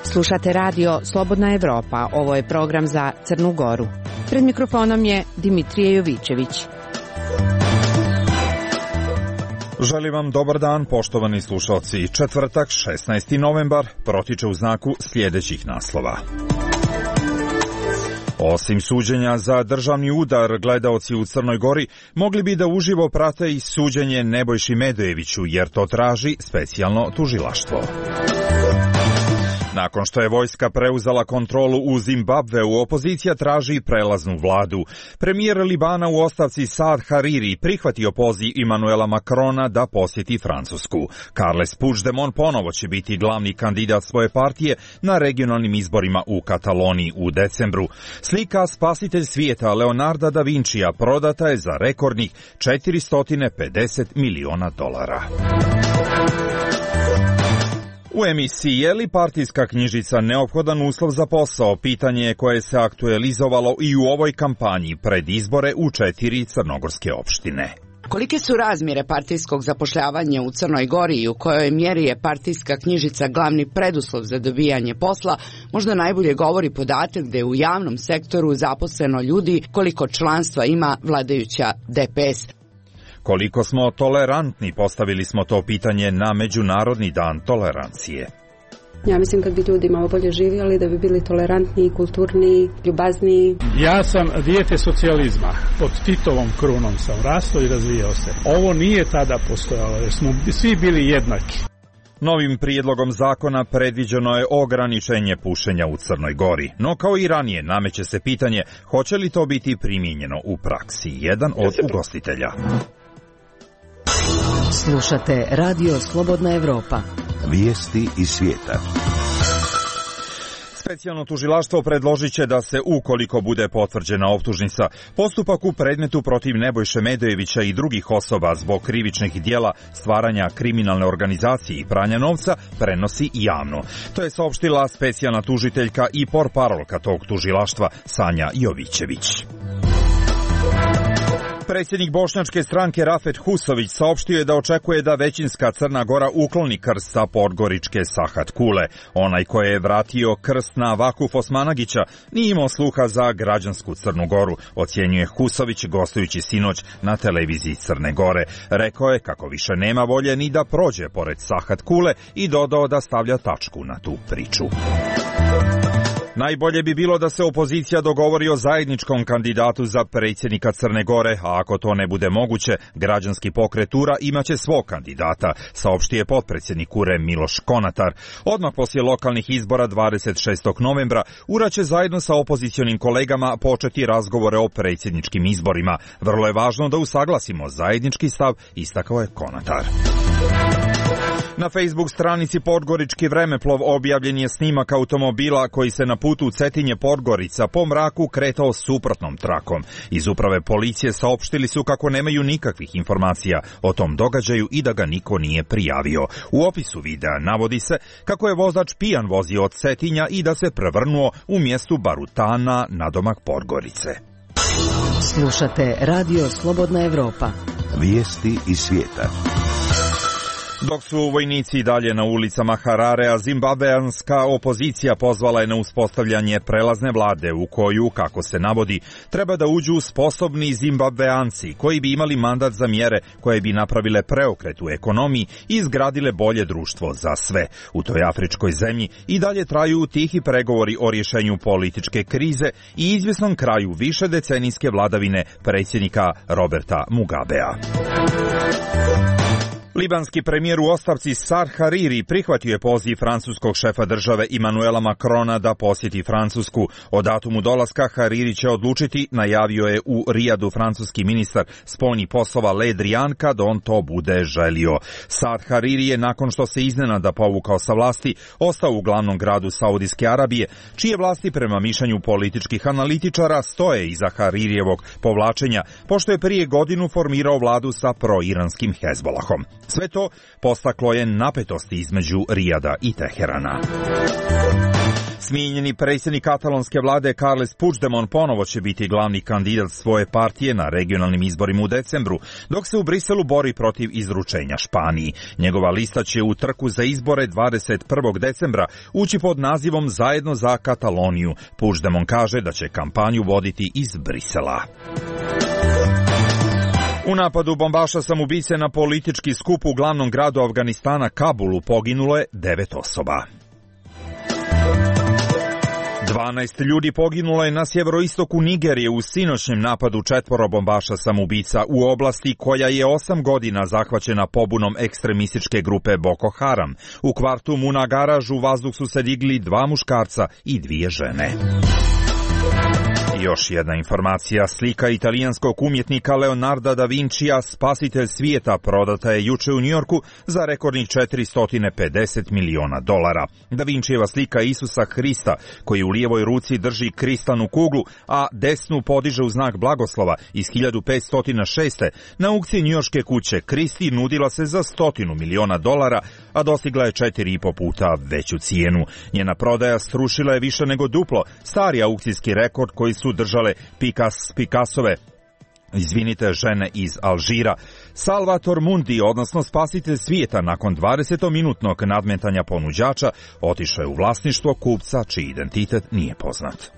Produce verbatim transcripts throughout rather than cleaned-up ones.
Slušate radio Slobodna Evropa, ovo je program za Crnu Goru. Pred mikrofonom je Dimitrije Jovićević. Želim vam dobar dan, poštovani slušalci. Četvrtak, šesnaesti novembar, protiče u znaku sljedećih naslova. Osim suđenja za državni udar, gledaoci u Crnoj Gori mogli bi da uživo prate i suđenje Nebojši Medojeviću, jer to traži specijalno tužilaštvo. Nakon što je vojska preuzela kontrolu u Zimbabveu, opozicija traži prelaznu vladu. Premijer Libana u ostavci Saad Hariri prihvatio poziv Emmanuela Macrona da posjeti Francusku. Carles Puigdemont ponovo će biti glavni kandidat svoje partije na regionalnim izborima u Kataloniji u decembru. Slika Spasitelj svijeta Leonarda da Vincija prodata je za rekordnih četiristo pedeset miliona dolara. U emisiji je li partijska knjižica neophodan uslov za posao, pitanje je koje se aktualizovalo i u ovoj kampanji pred izbore u četiri crnogorske opštine. Kolike su razmjere partijskog zapošljavanja u Crnoj Gori i u kojoj mjeri je partijska knjižica glavni preduslov za dobijanje posla, možda najbolje govori podatak da je u javnom sektoru zaposleno ljudi koliko članstva ima vladajuća D P S. Koliko smo tolerantni, postavili smo to pitanje na Međunarodni dan tolerancije. Ja mislim kad bi ljudi malo bolje živjeli, da bi bili tolerantniji, kulturniji, ljubazniji. Ja sam dijete socijalizma. Pod Titovom krunom sam rastao i razvijao se. Ovo nije tada postojalo, jer smo svi bili jednaki. Novim prijedlogom zakona predviđeno je ograničenje pušenja u Crnoj Gori, no kao i ranije nameće se pitanje hoće li to biti primijenjeno u praksi. Jedan od ugostitelja. Slušate radio Slobodna Evropa. Vijesti iz svijeta. Specijalno tužilaštvo predložit će da se, ukoliko bude potvrđena optužnica, postupak u predmetu protiv Nebojše Medojevića i drugih osoba zbog krivičnih djela stvaranja kriminalne organizacije i pranja novca prenosi javno. To je saopštila specijalna tužiteljka i portparolka tog tužilaštva Sanja Jovićević. Predsjednik bošnjačke stranke Rafet Husović saopštio je da očekuje da većinska Crna Gora ukloni krst sa podgoričke Sahat Kule. Onaj koji je vratio krst na Vakuf Osmanagića nije imao sluha za građansku Crnu Goru, ocjenjuje Husović gostujući sinoć na televiziji Crne Gore. Rekao je kako više nema volje ni da prođe pored Sahat Kule i dodao da stavlja tačku na tu priču. Najbolje bi bilo da se opozicija dogovori o zajedničkom kandidatu za predsjednika Crne Gore, a ako to ne bude moguće, građanski pokret U R A imaće svog kandidata, saopštio je potpredsjednik U R A Miloš Konatar. Odmah poslije lokalnih izbora dvadeset šestog novembra U R A će zajedno sa opozicionim kolegama početi razgovore o predsjedničkim izborima. Vrlo je važno da usaglasimo zajednički stav, istakao je Konatar. Na Facebook stranici Podgorički vremeplov objavljen je snimak automobila koji se na putu u Cetinje Podgorica po mraku kretao suprotnom trakom. Iz uprave policije saopštili su kako nemaju nikakvih informacija o tom događaju i da ga niko nije prijavio. U opisu videa navodi se kako je vozač pijan vozio od Cetinja i da se prevrnuo u mjestu Barutana nadomak Podgorice. Slušate radio Slobodna Evropa. Vijesti iz svijeta. Dok su vojnici i dalje na ulicama Hararea, zimbabveanska opozicija pozvala je na uspostavljanje prelazne vlade u koju, kako se navodi, treba da uđu sposobni zimbabveanci koji bi imali mandat za mjere koje bi napravile preokret u ekonomiji i izgradile bolje društvo za sve. U toj afričkoj zemlji i dalje traju tihi pregovori o rješenju političke krize i izvjesnom kraju više decenijske vladavine predsjednika Roberta Mugabea. Libanski premijer u ostavci Saad Hariri prihvatio je poziv francuskog šefa države Emmanuela Macrona da posjeti Francusku. O datumu dolaska Hariri će odlučiti, najavio je u Rijadu francuski ministar spoljnih poslova Le Drian kad on to bude želio. Saad Hariri je, nakon što se iznenada povukao sa vlasti, ostao u glavnom gradu Saudijske Arabije, čije vlasti prema mišljenju političkih analitičara stoje iza Haririjevog povlačenja, pošto je prije godinu formirao vladu sa proiranskim Hezbolahom. Sve to postaklo je napetosti između Rijada i Teherana. Smijenjeni predsjednik katalonske vlade Carles Puigdemont ponovo će biti glavni kandidat svoje partije na regionalnim izborima u decembru, dok se u Briselu bori protiv izručenja Španiji. Njegova lista će u trku za izbore dvadeset prvog decembra ući pod nazivom Zajedno za Kataloniju. Puigdemont kaže da će kampanju voditi iz Brisela. U napadu bombaša samoubice na politički skup u glavnom gradu Afganistana Kabulu poginulo je devet osoba. dvanaest ljudi poginulo je na sjeveroistoku Nigerije u sinoćnjem napadu četvoro bombaša samoubica u oblasti koja je osam godina zahvaćena pobunom ekstremističke grupe Boko Haram. U kvartu Munagaraž u vazduh su se digli dva muškarca i dvije žene. Još jedna informacija, slika italijanskog umjetnika Leonarda da Vincija, Spasitelj svijeta, prodata je juče u Njujorku za rekordnih četiristo pedeset miliona dolara. Da Vincijeva slika Isusa Hrista, koji u lijevoj ruci drži kristalnu kuglu, a desnu podiže u znak blagoslova iz hiljadu petsto šeste. na aukciji njujorške kuće Kristi nudila se za stotinu miliona dolara, a dostigla je četiri i po puta veću cijenu. Njena prodaja strušila je više nego duplo stari aukcijski rekord koji su držale Picass, Picassove izvinite, žene iz Alžira. Salvator Mundi, odnosno Spasitelj svijeta, nakon dvadesetominutnog nadmetanja ponuđača, otišao je u vlasništvo kupca čiji identitet nije poznat.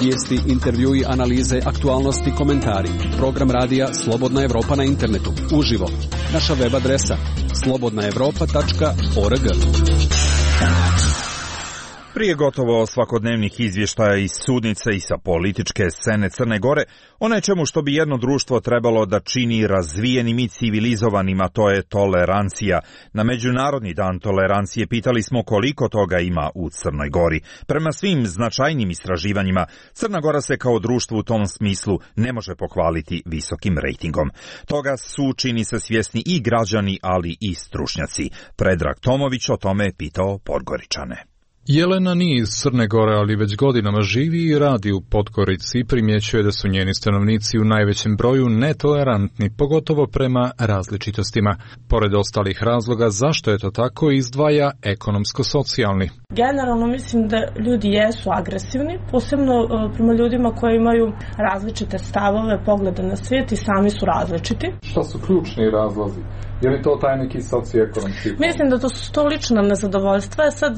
Vijesti, intervjui, analize, aktualnosti, komentari. Program radija Slobodna Evropa na internetu. Uživo. Naša web adresa slobodna evropa tačka org. Prije gotovo svakodnevnih izvještaja iz sudnice i sa političke scene Crne Gore, o nečemu što bi jedno društvo trebalo da čini razvijenim i civilizovanim, a to je tolerancija. Na Međunarodni dan tolerancije pitali smo koliko toga ima u Crnoj Gori. Prema svim značajnim istraživanjima, Crna Gora se kao društvo u tom smislu ne može pohvaliti visokim rejtingom. Toga su, čini se, svjesni i građani, ali i stručnjaci. Predrag Tomović o tome je pitao Podgoričane. Jelena nije iz Crne Gore, ali već godinama živi i radi u Podgorici i primjećuje da su njeni stanovnici u najvećem broju netolerantni, pogotovo prema različitostima. Pored ostalih razloga zašto je to tako, izdvaja ekonomsko-socijalni. Generalno mislim da ljudi jesu agresivni, posebno prema ljudima koji imaju različite stavove, poglede na svijet i sami su različiti. Šta su ključni razlozi? Je li to taj neki socioekonomski? Mislim da to su to lična nezadovoljstva, sad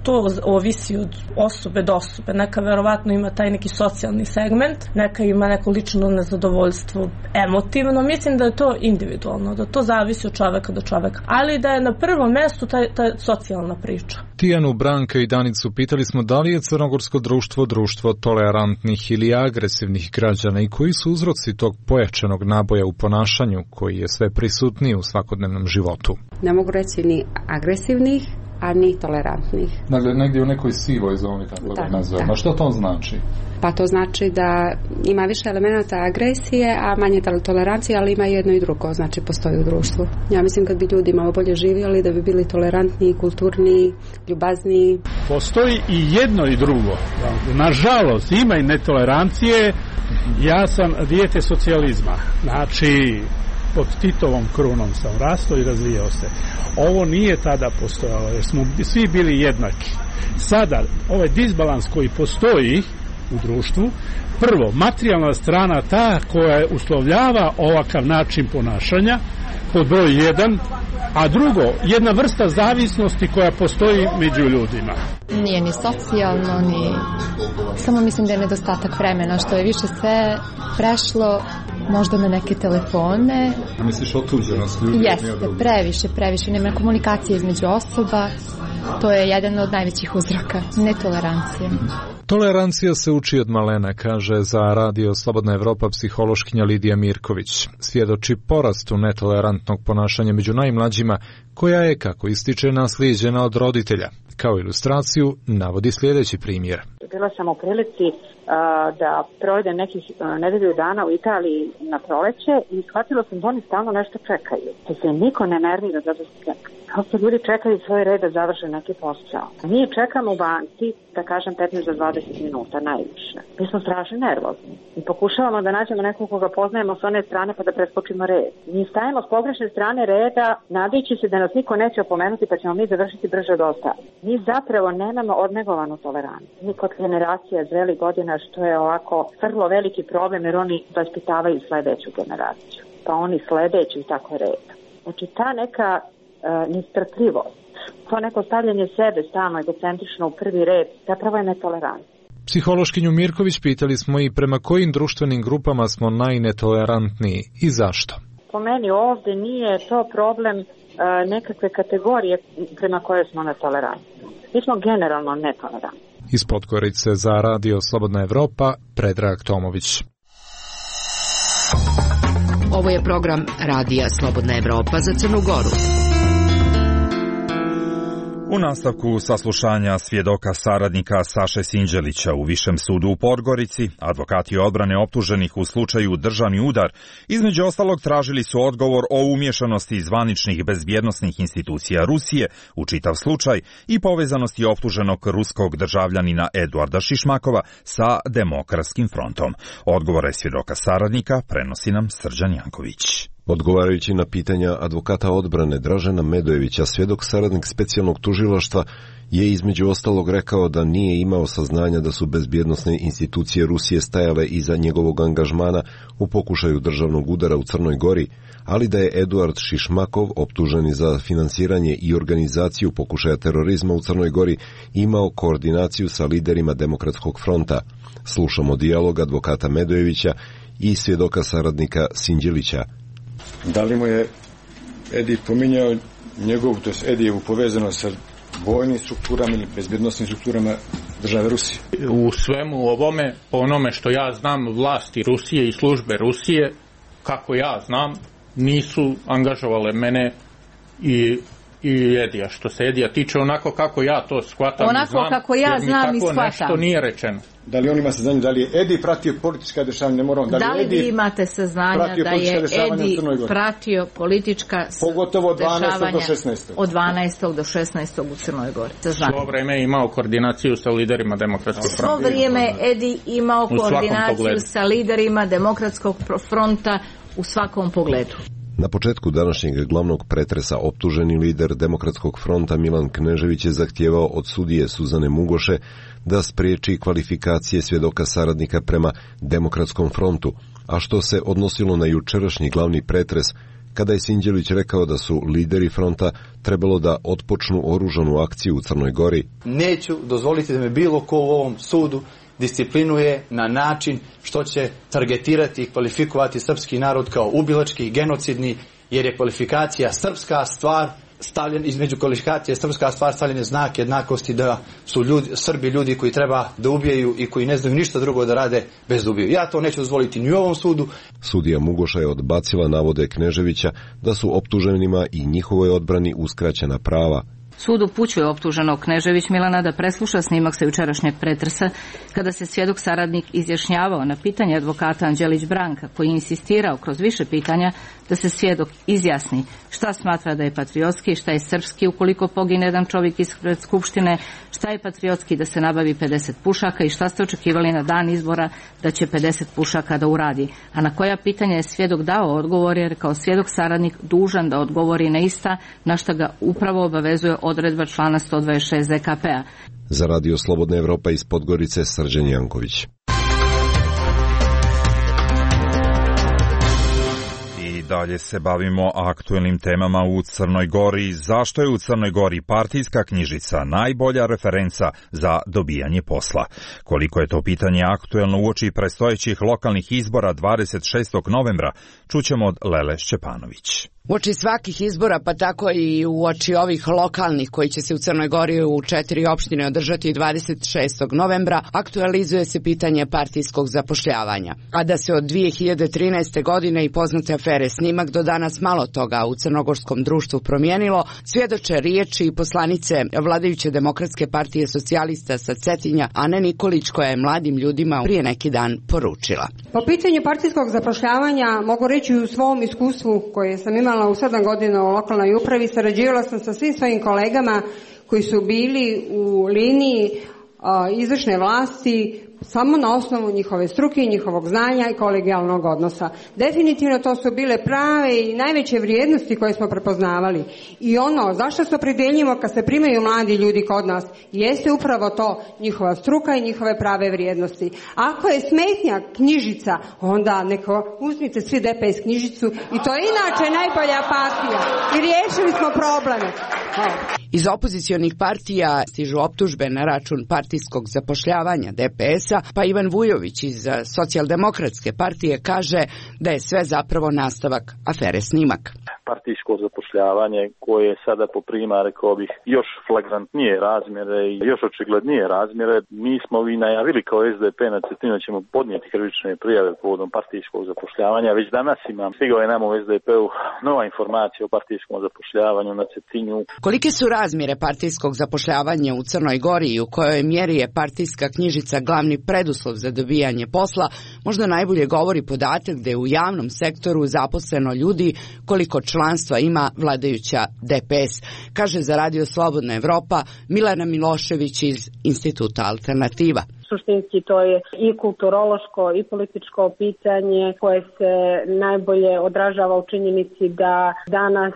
to ovisi od osobe do osobe. Neka verovatno ima taj neki socijalni segment, neka ima neko lično nezadovoljstvo emotivno. Mislim da je to individualno, da to zavisi od čoveka do čoveka. Ali da je na prvom mjestu ta, ta socijalna priča. Tijanu, Branka i Danicu pitali smo da li je crnogorsko društvo društvo tolerantnih ili agresivnih građana i koji su uzroci tog pojačanog naboja u ponašanju koji je sve prisutniji u svakodnevnom životu. Ne mogu reći ni agresivnih, a ni tolerantnih. Dakle, negdje u nekoj sivoj zoni, tako da nazovemo. Što to znači? Pa to znači da ima više elemenata agresije, a manje tolerancije, ali ima jedno i drugo, znači postoji u društvu. Ja mislim kad bi ljudi malo bolje živjeli, da bi bili tolerantniji, kulturniji, ljubazniji. Postoji i jedno i drugo. Nažalost, ima i netolerancije. Ja sam dijete socijalizma. Znači, pod Titovom krunom sam rastao i razvijao se. Ovo nije tada postojalo, jer smo svi bili jednaki. Sada, ovaj disbalans koji postoji u društvu, prvo, materijalna strana ta koja uslovljava ovakav način ponašanja, pod broj jedan, a drugo, jedna vrsta zavisnosti koja postoji među ljudima. Nije ni socijalno, ni... Samo mislim da je nedostatak vremena, što je više sve prešlo možda na neke telefone. A misliš otuđenost ljudi? Jeste, previše, previše. Nema komunikacije između osoba. To je jedan od najvećih uzroka. Netolerancija. Tolerancija se uči od malena, kaže za radio Slobodna Evropa psihološkinja Lidija Mirković. Svjedoči porastu netolerantnog ponašanja među najmlađima, koja je, kako ističe, naslijeđena od roditelja. Kao ilustraciju navodi sljedeći primjer. Bila sam u prilici uh, da provedem nekih uh, nedelju dana u Italiji na proleće i shvatila sam da oni stalno nešto čekaju. Da se niko ne nervira zato što čeka. Prosto ljudi čekaju svoj red da završe neki posao. Mi čekamo u banci, da kažem, petnaest do dvadeset minuta najviše. Mi smo strašno nervozni. Mi pokušavamo da nađemo nekog koga poznajemo s one strane pa da preskočimo red. Mi stajemo s pogrešne strane reda, nadajući se da nas niko neće opomenuti pa ćemo mi završiti brže od ostalih. Mi zapravo nemamo odnegovanu toleranciju. Mi kod generacija zrelih godina, što je ovako vrlo veliki problem, jer oni vaspitavaju sledeću generaciju. Pa oni sledeću i tako red. Znači ta neka uh, nestrpljivost, to neko stavljanje sebe stalno egocentrično u prvi red, zapravo je netolerancija. Psihološkinju Mirković pitali smo i prema kojim društvenim grupama smo najnetolerantniji i zašto. Po meni ovde nije to problem uh, nekakve kategorije prema koje smo netolerantni. Mi smo generalno netolerantni. Iz Podgorice za Radio Slobodna Evropa, Predrag Tomović. Ovo je program Radija Slobodna Evropa za Crnu Goru. U nastavku saslušanja svjedoka saradnika Saše Sinđelića u Višem sudu u Podgorici, advokati odbrane optuženih u slučaju državni udar, između ostalog tražili su odgovor o umješanosti zvaničnih bezbjednosnih institucija Rusije u čitav slučaj i povezanosti optuženog ruskog državljanina Eduarda Šišmakova sa Demokratskim frontom. Odgovore svjedoka saradnika prenosi nam Srđan Janković. Odgovarajući na pitanja advokata odbrane Dražena Medojevića, svjedok saradnik specijalnog tužilaštva je između ostalog rekao da nije imao saznanja da su bezbjednosne institucije Rusije stajale iza njegovog angažmana u pokušaju državnog udara u Crnoj Gori, ali da je Eduard Šišmakov, optuženi za finansiranje i organizaciju pokušaja terorizma u Crnoj Gori, imao koordinaciju sa liderima Demokratskog fronta. Slušamo dijalog advokata Medojevića i svjedoka saradnika Sinđelića. Da li mu je Edi pominjao njegovu, to je Edijevu povezanost sa vojnim strukturama ili bezbjednosnim strukturama države Rusije? U svemu ovome, po onome što ja znam, vlasti Rusije i službe Rusije, kako ja znam, nisu angažovale mene i i Edija. Što se Edija tiče, onako kako ja to shvatam onako i znam, kako ja znam i shvatam. Nešto nije rečeno. Da li on ima saznanje, da li je Edi pratio politička dešavanja, ne moram, da li, da li Edi vi imate saznanja da je Edi pratio politička pogotovo od dvanaestog do šesnaestog od dvanaestog do šesnaestog u Crnoj Gori. Svo vrijeme je imao koordinaciju sa liderima Demokratskog fronta. Svo vrijeme Edi imao koordinaciju sa liderima Demokratskog fronta u svakom pogledu. Na početku današnjeg glavnog pretresa optuženi lider Demokratskog fronta Milan Knežević je zahtijevao od sudije Suzane Mugoše da spriječi kvalifikacije svjedoka saradnika prema Demokratskom frontu, a što se odnosilo na jučerašnji glavni pretres, kada je Sinđelić rekao da su lideri fronta trebalo da otpočnu oružanu akciju u Crnoj Gori. Neću dozvoliti da me bilo ko u ovom sudu disciplinuje na način što će targetirati i kvalifikovati srpski narod kao ubilački i genocidni, jer je kvalifikacija srpska stvar, stavljen, između kvalifikacije srpska stvar stavljene znak jednakosti, da su ljudi, Srbi ljudi koji treba da ubijaju i koji ne znaju ništa drugo da rade bez da ubiju. Ja to neću dozvoliti ni u ovom sudu. Sudija Mugoša je odbacila navode Kneževića da su optuženima i njihovoj odbrani uskraćena prava. Sud upućuje optuženog Knežević Milana da presluša snimak sa jučerašnjeg pretresa, kada se svjedok saradnik izjašnjavao na pitanje advokata Anđelić Branka, koji je insistirao kroz više pitanja da se svjedok izjasni šta smatra da je patriotski, šta je srpski ukoliko pogine jedan čovjek ispred skupštine, šta je patriotski da se nabavi pedeset pušaka i šta ste očekivali na dan izbora da će pedeset pušaka da uradi. A na koja pitanja je svjedok dao odgovor, jer kao svjedok saradnik dužan da odgovori na ista, na šta ga upravo obavezuje odredba člana sto dvadeset šest Z K P-a. Za Radio Slobodna Evropa iz Podgorice, Srđan Janković. Dalje se bavimo aktuelnim temama u Crnoj Gori. Zašto je u Crnoj Gori partijska knjižica najbolja referenca za dobijanje posla? Koliko je to pitanje aktuelno uoči predstojećih lokalnih izbora dvadeset šestog novembra, čućemo od Lele Šćepanović. Uoči svakih izbora, pa tako i uoči ovih lokalnih koji će se u Crnoj Gori u četiri opštine održati dvadeset šestog novembra, aktualizuje se pitanje partijskog zapošljavanja. A da se od dvije hiljade trinaeste. godine i poznate afere Snimak do danas malo toga u crnogorskom društvu promijenilo, svjedoče riječi i poslanice vladajuće Demokratske partije socijalista sa Cetinja, Ane Nikolić, koja je mladim ljudima prije neki dan poručila. Po pitanju partijskog zapošljavanja mogu reći u svom iskustvu koje sam imala imala u sedam godina u lokalnoj upravi, sarađivala sam sa svim svojim kolegama koji su bili u liniji a, izvršne vlasti samo na osnovu njihove struke, njihovog znanja i kolegijalnog odnosa. Definitivno to su bile prave i najveće vrijednosti koje smo prepoznavali. I ono zašto se opredeljimo kad se primaju mladi ljudi kod nas, jeste upravo to, njihova struka i njihove prave vrijednosti. Ako je smetnja knjižica, onda neko uzmite svi D P S knjižicu i to je inače najbolja partija. I riješili smo probleme. Hvala. Iz opozicionih partija stižu optužbe na račun partijskog zapošljavanja D P S-a, pa Ivan Vujović iz Socijaldemokratske partije kaže da je sve zapravo nastavak afere Snimak. Partijsko zapošljavanje koje sada poprima, rekao bih, još flagrantnije razmjere i još očiglednije razmjere. Mi smo i najavili kao S D P na Cetinu da ćemo podnijeti krivične prijave povodom partijskog zapošljavanja. Već danas imam, stigao je nama u S D P-u nova informacija o partijskom zapošljavanju na Cetinju. Kolike su razmjere partijskog zapošljavanja u Crnoj Gori i u kojoj mjeri je partijska knjižica glavni preduslov za dobijanje posla, možda najbolje govori podatak da je u javnom sektoru zaposleno ljudi koliko članstva ima vladajuća D P S, kaže za Radio Slobodna Evropa Milena Milošević iz Instituta Alternativa. Suštinski to je i kulturološko i političko pitanje koje se najbolje odražava u činjenici da danas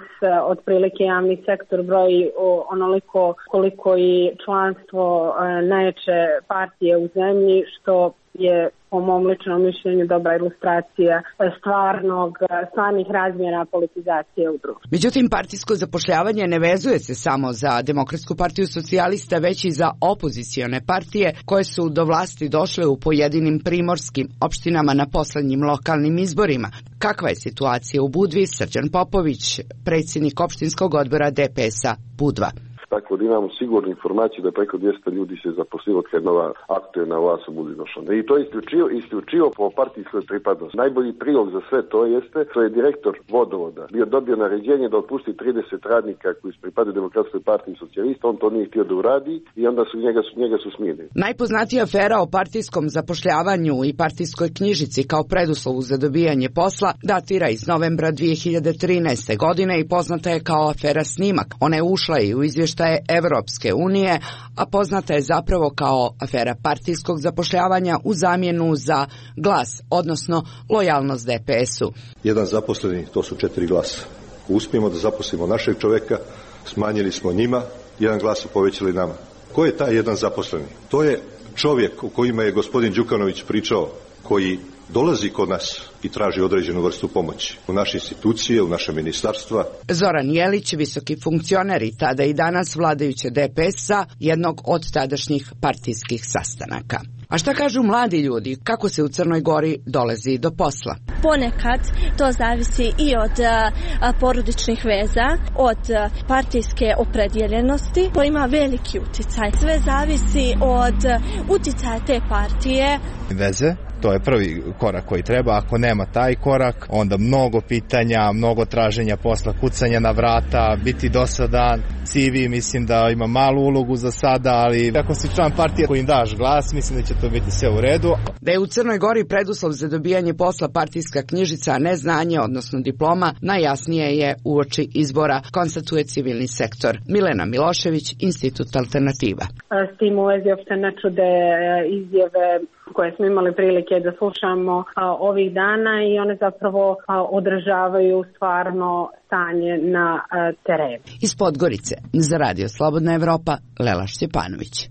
otprilike javni sektor broji onoliko koliko i članstvo najjače partije u zemlji, što je po mom ličnom mišljenju dobra ilustracija stvarnog, stvarnih razmjera politizacije u društvu. Međutim, partijsko zapošljavanje ne vezuje se samo za Demokratsku partiju socijalista, već i za opozicione partije koje su do vlasti došle u pojedinim primorskim opštinama na poslednjim lokalnim izborima. Kakva je situacija u Budvi? Srđan Popović, predsjednik opštinskog odbora D P S-a Budva. Tako da imamo sigurnu informaciju da preko dvjesto ljudi se zaposlilo od kad nova aktualna vlast u Budvi došla. I to je isključivo, isključivo po partijskoj pripadnosti. Najbolji prilog za sve to jeste što je direktor vodovoda bio dobio naređenje da otpusti trideset radnika koji pripadaju Demokratskoj partiji socijalista, on to nije htio da uradi i onda su njega, su, njega su smijenili. Najpoznatija afera o partijskom zapošljavanju i partijskoj knjižici kao preduslovu za dobijanje posla datira iz novembra dvije hiljade trinaeste. godine i poznata je kao afera Snimak. Ona je ušla i u izvještaj Evropske unije, a poznata je zapravo kao afera partijskog zapošljavanja u zamjenu za glas, odnosno lojalnost D P S-u. Jedan zaposleni, to su četiri glasa. Uspijemo da zaposlimo našeg čoveka, smanjili smo njima, jedan glas su povećali nama. Ko je taj jedan zaposleni? To je čovjek o kojima je gospodin Đukanović pričao, koji dolazi kod nas i traži određenu vrstu pomoći u naše institucije, u naše ministarstva. Zoran Jelić, visoki funkcioner i tada i danas vladajuće D P S-a, jednog od tadašnjih partijskih sastanaka. A šta kažu mladi ljudi, kako se u Crnoj Gori dolazi do posla? Ponekad to zavisi i od a, porodičnih veza, od a, partijske opredjeljenosti. To ima veliki uticaj. Sve zavisi od a, uticaja te partije. Veze, to je prvi korak koji treba. Ako nema taj korak, onda mnogo pitanja, mnogo traženja posla, kucanja na vrata, biti dosadan. C V mislim da ima malu ulogu za sada, ali ako si član partije kojim daš glas, mislim da će to biti sve u redu. Da je u Crnoj Gori preduslov za dobijanje posla partijska knjižica, a ne znanje, odnosno diploma, najjasnije je uoči izbora, konstatuje civilni sektor. Milena Milošević, Institut Alternativa. S tim u vezi uopšte ne čude izjave koje smo imali prilike da slušamo a, ovih dana i one zapravo a, odražavaju stvarno stanje na a, terenu. Iz Podgorice, za Radio Slobodna Evropa, Lela Šćepanović.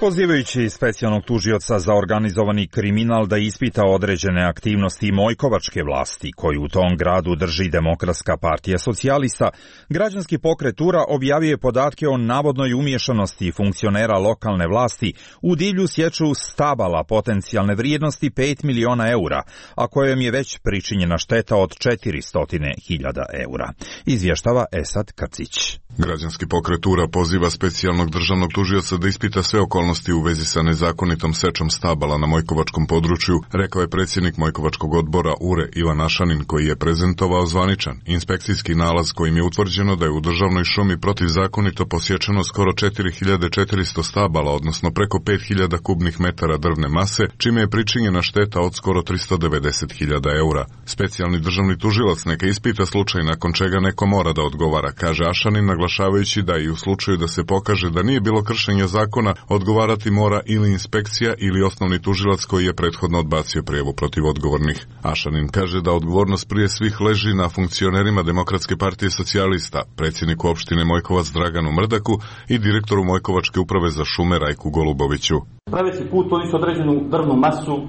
Pozivajući specijalnog tužioca za organizovani kriminal da ispita određene aktivnosti Mojkovačke vlasti, koju u tom gradu drži Demokratska partija socijalista, građanski pokret Tura objavio je podatke o navodnoj umješanosti funkcionera lokalne vlasti u divlju sječu stabala potencijalne vrijednosti pet miliona eura, a kojom je već pričinjena šteta od četiristo hiljada eura. Izvještava Esad Kacić. Građanski pokret Tura poziva specijalnog državnog tužioca da ispita sve okolnosti okolnosti u vezi sa nezakonitom sečom stabala na Mojkovačkom području, rekao je predsjednik Mojkovačkog odbora U R E Ivan Ašanin, koji je prezentovao zvaničan inspekcijski nalaz kojim je utvrđeno da je u državnoj šumi protivzakonito posječeno skoro četiri hiljade četiristo stabala, odnosno preko pet hiljada kubnih metara drvne mase, čime je pričinjena šteta od skoro tristo devedeset hiljada eura. Specijalni državni tužilac neka ispita slučaj nakon čega neko mora da odgovara, kaže Ašanin, naglašavajući da i u slučaju da se pokaže da nije bilo kršenja zakona, odgovarati mora ili inspekcija ili osnovni tužilac koji je prethodno odbacio prijavu protiv odgovornih. Ašanin kaže da odgovornost prije svih leži na funkcionerima Demokratske partije socijalista, predsjedniku opštine Mojkovac Draganu Mrdaku i direktoru Mojkovačke uprave za šume Rajku Goluboviću. Praveći put oni su određenu drvnu masu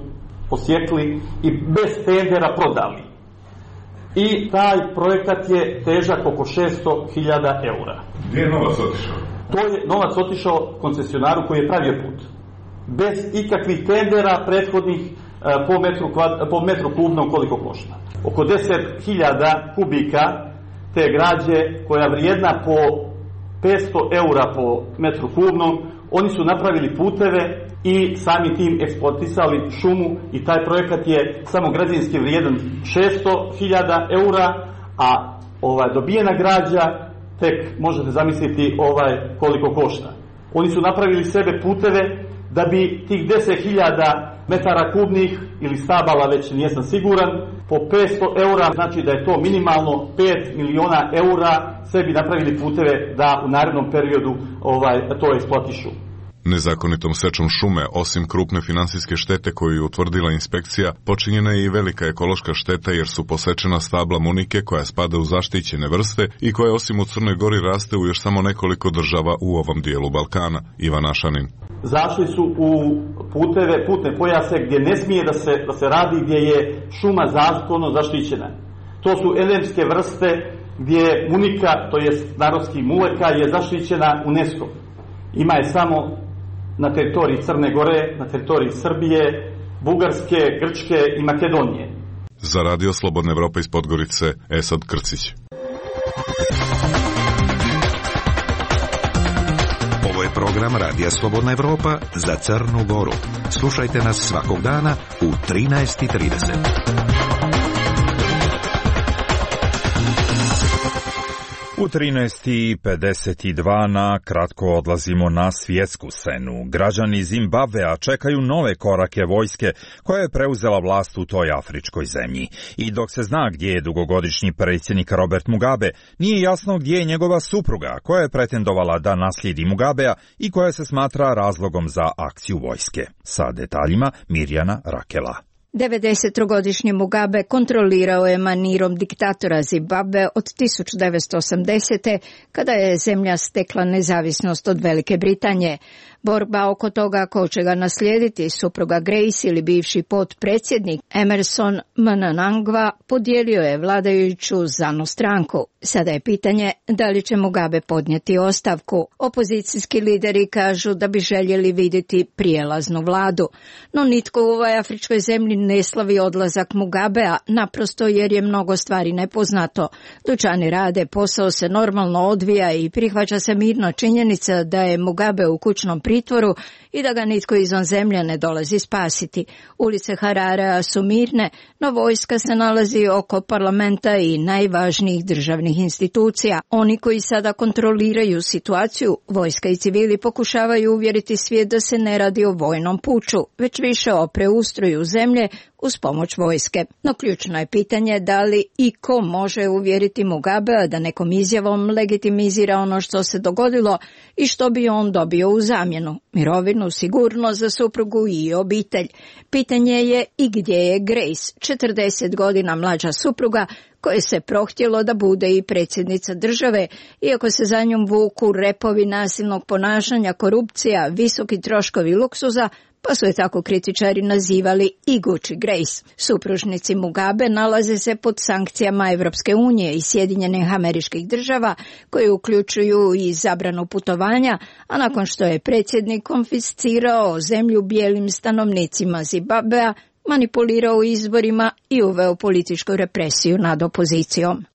posjekli i bez tendera prodali. I taj projekat je težak oko šesto hiljada eura. Gdje je novac otišao? To je novac otišao koncesionaru koji je pravio put. Bez ikakvih tendera prethodnih po metru, po metru kubnom koliko košta. Oko deset hiljada kubika te građe koja vrijedna po petsto eura po metru kubnom, oni su napravili puteve i sami tim eksploatisali šumu i taj projekat je samo građevinski vrijedan šesto hiljada eura, a ovaj, dobijena građa tek možete zamisliti ovaj, koliko košta. Oni su napravili sebe puteve da bi tih deset hiljada metara kubnih ili stabala, već nisam siguran, po petsto eura, znači da je to minimalno pet miliona eura, sebi napravili puteve da u narednom periodu ovaj, to eksploatišu. Nezakonitom sečom šume, osim krupne finansijske štete koju je utvrdila inspekcija, počinjena je i velika ekološka šteta jer su posečena stabla munike koja spada u zaštićene vrste i koja osim u Crnoj Gori raste u još samo nekoliko država u ovom dijelu Balkana. Ivan Ašanin. Zašli su u puteve, putne pojase gdje ne smije da se, da se radi, gdje je šuma zakonom zaštićena. To su endemske vrste gdje munika, to jest narodski muleka, je zaštićena UNESCO. Ima je samo na teritoriji Crne Gore, na teritoriji Srbije, Bugarske, Grčke i Makedonije. Za Radio Slobodna Evropa iz Podgorice, Esad Krcić. Ovo je program Radija Slobodna Evropa za Crnu Goru. Slušajte nas svakog dana u trinaest i trideset. U trinaest i pedeset dva na kratko odlazimo na svjetsku scenu. Građani Zimbabvea čekaju nove korake vojske koja je preuzela vlast u toj afričkoj zemlji. I dok se zna gdje je dugogodišnji predsjednik Robert Mugabe, nije jasno gdje je njegova supruga koja je pretendovala da naslijedi Mugabea i koja se smatra razlogom za akciju vojske. Sa detaljima Mirjana Rakela. devedesetogodišnji Mugabe kontrolirao je manirom diktatora Zimbabve od tisuću devetsto osamdesete. kada je zemlja stekla nezavisnost od Velike Britanije. Borba oko toga ko će ga naslijediti, supruga Grace ili bivši potpredsjednik Emerson Mnangagwa, podijelio je vladajuću ZANU stranku. Sada je pitanje da li će Mugabe podnijeti ostavku. Opozicijski lideri kažu da bi željeli vidjeti prijelaznu vladu. No nitko u ovoj afričkoj zemlji ne slavi odlazak Mugabea, naprosto jer je mnogo stvari nepoznato. Dućani rade, posao se normalno odvija i prihvaća se mirno činjenica da je Mugabe u kućnom pritvoru i da ga nitko izvan zemlje ne dolazi spasiti. Ulice Hararea su mirne, no vojska se nalazi oko parlamenta i najvažnijih državnih institucija. Oni koji sada kontroliraju situaciju, vojska i civili, pokušavaju uvjeriti svijet da se ne radi o vojnom puču, već više o preustroju zemlje uz pomoć vojske. No ključno je pitanje da li i ko može uvjeriti Mugabea da nekom izjavom legitimizira ono što se dogodilo i što bi on dobio u zamjenu. Mirovinu, sigurnost za suprugu i obitelj. Pitanje je i gdje je Grace, četrdeset godina mlađa supruga, koje se prohtjelo da bude i predsjednica države, iako se za njom vuku repovi nasilnog ponašanja, korupcija, visoki troškovi luksuza, pa su je tako kritičari nazivali i Gucci Grace. Supružnici Mugabe nalaze se pod sankcijama Evropske unije i Sjedinjenih Američkih Država, koje uključuju i zabranu putovanja, a nakon što je predsjednik konfiscirao zemlju bijelim stanovnicima Zimbabvea, manipulirao izborima i uveo političku represiju nad opozicijom.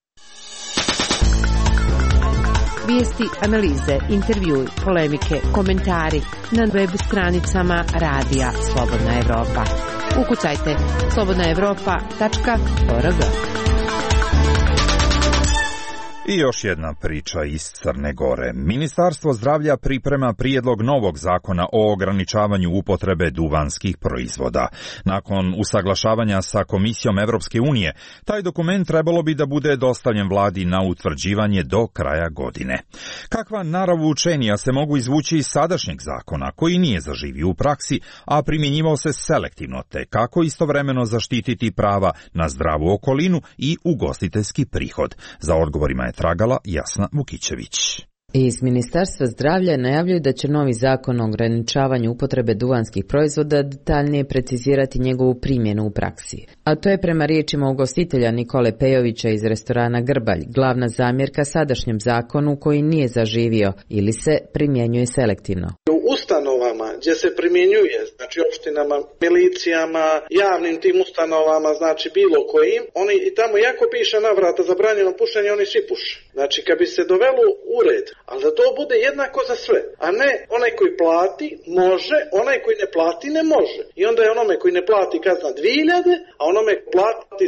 Vijesti, analize, intervjui, polemike, komentari na web stranicama Radija Slobodna Evropa. Ukucajte slobodna evropa tačka org. I još jedna priča iz Crne Gore. Ministarstvo zdravlja priprema prijedlog novog zakona o ograničavanju upotrebe duvanskih proizvoda. Nakon usaglašavanja sa Komisijom Evropske unije, taj dokument trebalo bi da bude dostavljen vladi na utvrđivanje do kraja godine. Kakva naravučenja se mogu izvući iz sadašnjeg zakona, koji nije zaživio u praksi, a primjenjivao se selektivno, te kako istovremeno zaštititi prava na zdravu okolinu i ugostiteljski prihod? Za odgovorima je tragala Jasna Vukićević. Iz Ministarstva zdravlja najavljuju da će novi zakon o ograničavanju upotrebe duvanskih proizvoda detaljnije precizirati njegovu primjenu u praksi. A to je prema riječima ugostitelja Nikole Pejovića iz restorana Grbalj glavna zamjerka sadašnjem zakonu koji nije zaživio ili se primjenjuje selektivno. U ustanovama gdje se primjenjuje, znači opštinama, milicijama, javnim tim ustanovama, znači bilo kojim, oni i tamo jako piše na vrata zabranjeno pušenje, oni svi puše. Znači kad bi se dovelo u red, ali da to bude jednako za sve, a ne onaj koji plati može, onaj koji ne plati ne može. I onda je onome koji ne plati kazna dvije hiljade, a onome plati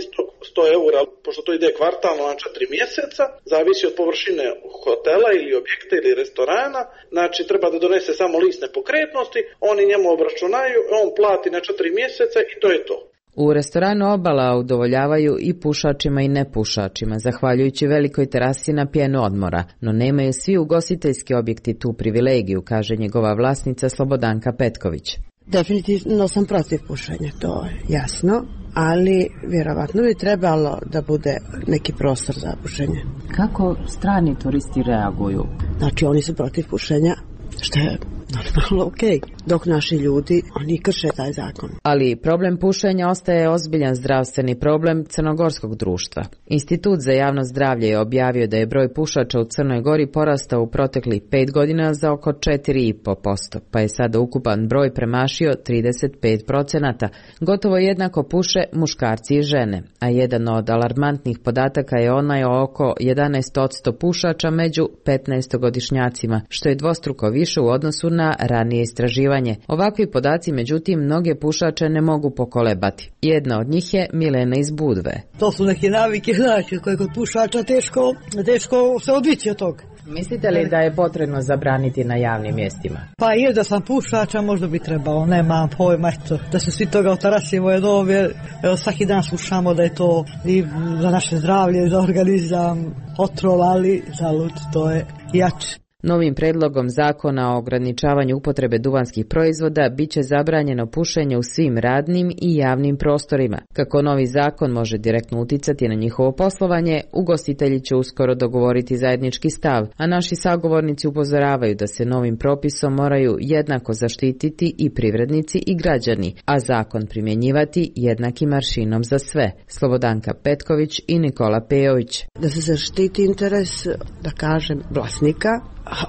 sto eura, pošto to ide kvartalno na četiri mjeseca, zavisi od površine hotela ili objekta ili restorana, znači treba da donese samo list nepokretnosti, oni njemu obračunaju, on plati na četiri mjeseca i to je to. U restoranu Obala udovoljavaju i pušačima i nepušačima, zahvaljujući velikoj terasi na pjenu odmora, no nemaju svi ugostiteljski objekti tu privilegiju, kaže njegova vlasnica Slobodanka Petković. Definitivno sam protiv pušenja, to je jasno, ali vjerovatno bi trebalo da bude neki prostor za pušenje. Kako strani turisti reaguju? Znači oni su protiv pušenja, što je normalno okej, dok naši ljudi, oni krše taj zakon. Ali problem pušenja ostaje ozbiljan zdravstveni problem crnogorskog društva. Institut za javno zdravlje je objavio da je broj pušača u Crnoj Gori porastao u proteklih pet godina za oko četiri i po posto, pa je sada ukupan broj premašio trideset pet procenata. Gotovo jednako puše muškarci i žene, a jedan od alarmantnih podataka je onaj o oko jedanaest posto pušača među petnaestogodišnjacima, što je dvostruko više u odnosu na na ranije istraživanje. Ovakvi podaci, međutim, mnoge pušače ne mogu pokolebati. Jedna od njih je Milena iz Budve. To su neke navike, znači, koje kod pušača teško, teško se odvići od toga. Mislite li da je potrebno zabraniti na javnim mjestima? Pa je da sam pušača, možda bi trebalo, nema pojma, eto, da se svi toga otarasimo jednom, jer evo, svaki dan slušamo da je to i za naše zdravlje, za organizam, otrov, ali zalud, to je jače. Novim predlogom zakona o ograničavanju upotrebe duvanskih proizvoda biće zabranjeno pušenje u svim radnim i javnim prostorima. Kako novi zakon može direktno uticati na njihovo poslovanje, ugostitelji će uskoro dogovoriti zajednički stav, a naši sagovornici upozoravaju da se novim propisom moraju jednako zaštititi i privrednici i građani, a zakon primjenjivati jednakim aršinom za sve. Slobodanka Petković i Nikola Pejović. Da se zaštiti interes, da kažem, vlasnika,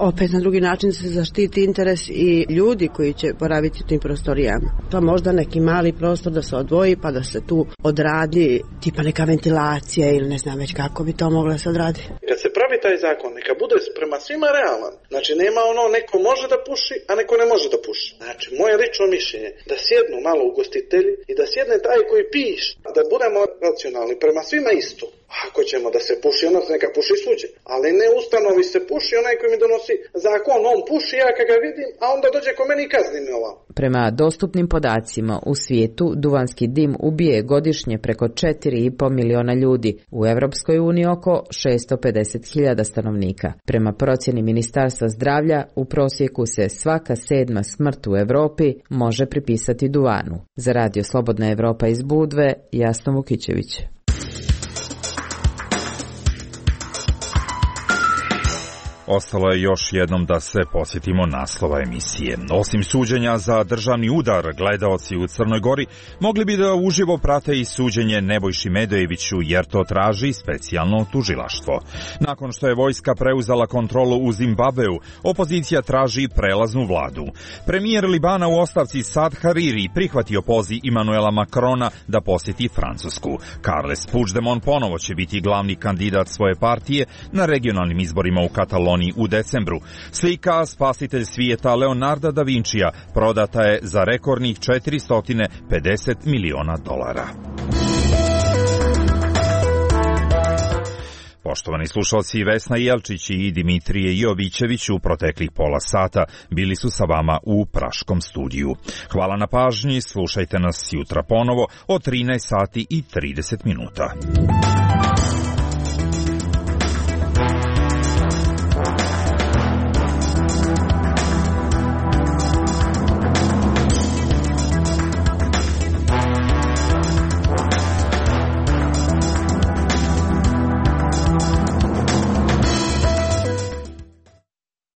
opet na drugi način se zaštiti interes i ljudi koji će boraviti u tim prostorijama. Pa možda neki mali prostor da se odvoji pa da se tu odradi tipa neka ventilacija ili ne znam već kako bi to moglo se odraditi. Kad se pravi taj zakon, neka bude prema svima realan. Znači nema ono neko može da puši, a neko ne može da puši. Znači moje lično mišljenje da sjednu malo ugostitelji i da sjedne taj koji piše, da budemo racionalni prema svima isto. Ako ćemo da se puši, onda neka puši suđe. Ali ne ustanovi se puši, onaj koji mi donosi zakon, on puši, ja kad ga vidim, a onda dođe ko meni i kazni me ovako. Prema dostupnim podacima, u svijetu duvanski dim ubije godišnje preko četiri i po miliona ljudi, u Evropskoj uniji oko šesto pedeset hiljada stanovnika. Prema procjeni Ministarstva zdravlja, u prosjeku se svaka sedma smrt u Europi može pripisati duvanu. Za Radio Slobodna Evropa iz Budve, Jasna Vukićević. Ostalo je još jednom da se posjetimo naslova emisije. Osim suđenja za državni udar, gledaoci u Crnoj Gori mogli bi da uživo prate i suđenje Nebojši Medojeviću, jer to traži specijalno tužilaštvo. Nakon što je vojska preuzela kontrolu u Zimbabveu, opozicija traži prelaznu vladu. Premijer Libana u ostavci Saad Hariri prihvatio poziv Emmanuela Macrona da posjeti Francusku. Carles Puigdemont ponovo će biti glavni kandidat svoje partije na regionalnim izborima u Kataloniji Londoni u decembru. Slika Spasitelj svijeta Leonarda da Vincija prodata je za rekordnih četiristo pedeset miliona dolara. Poštovani slušalci, Vesna Jelčić i Dimitrije Jovićević u proteklih pola sata bili su sa vama u Praškom studiju. Hvala na pažnji, slušajte nas jutra ponovo od trinaest sati i trideset minuta.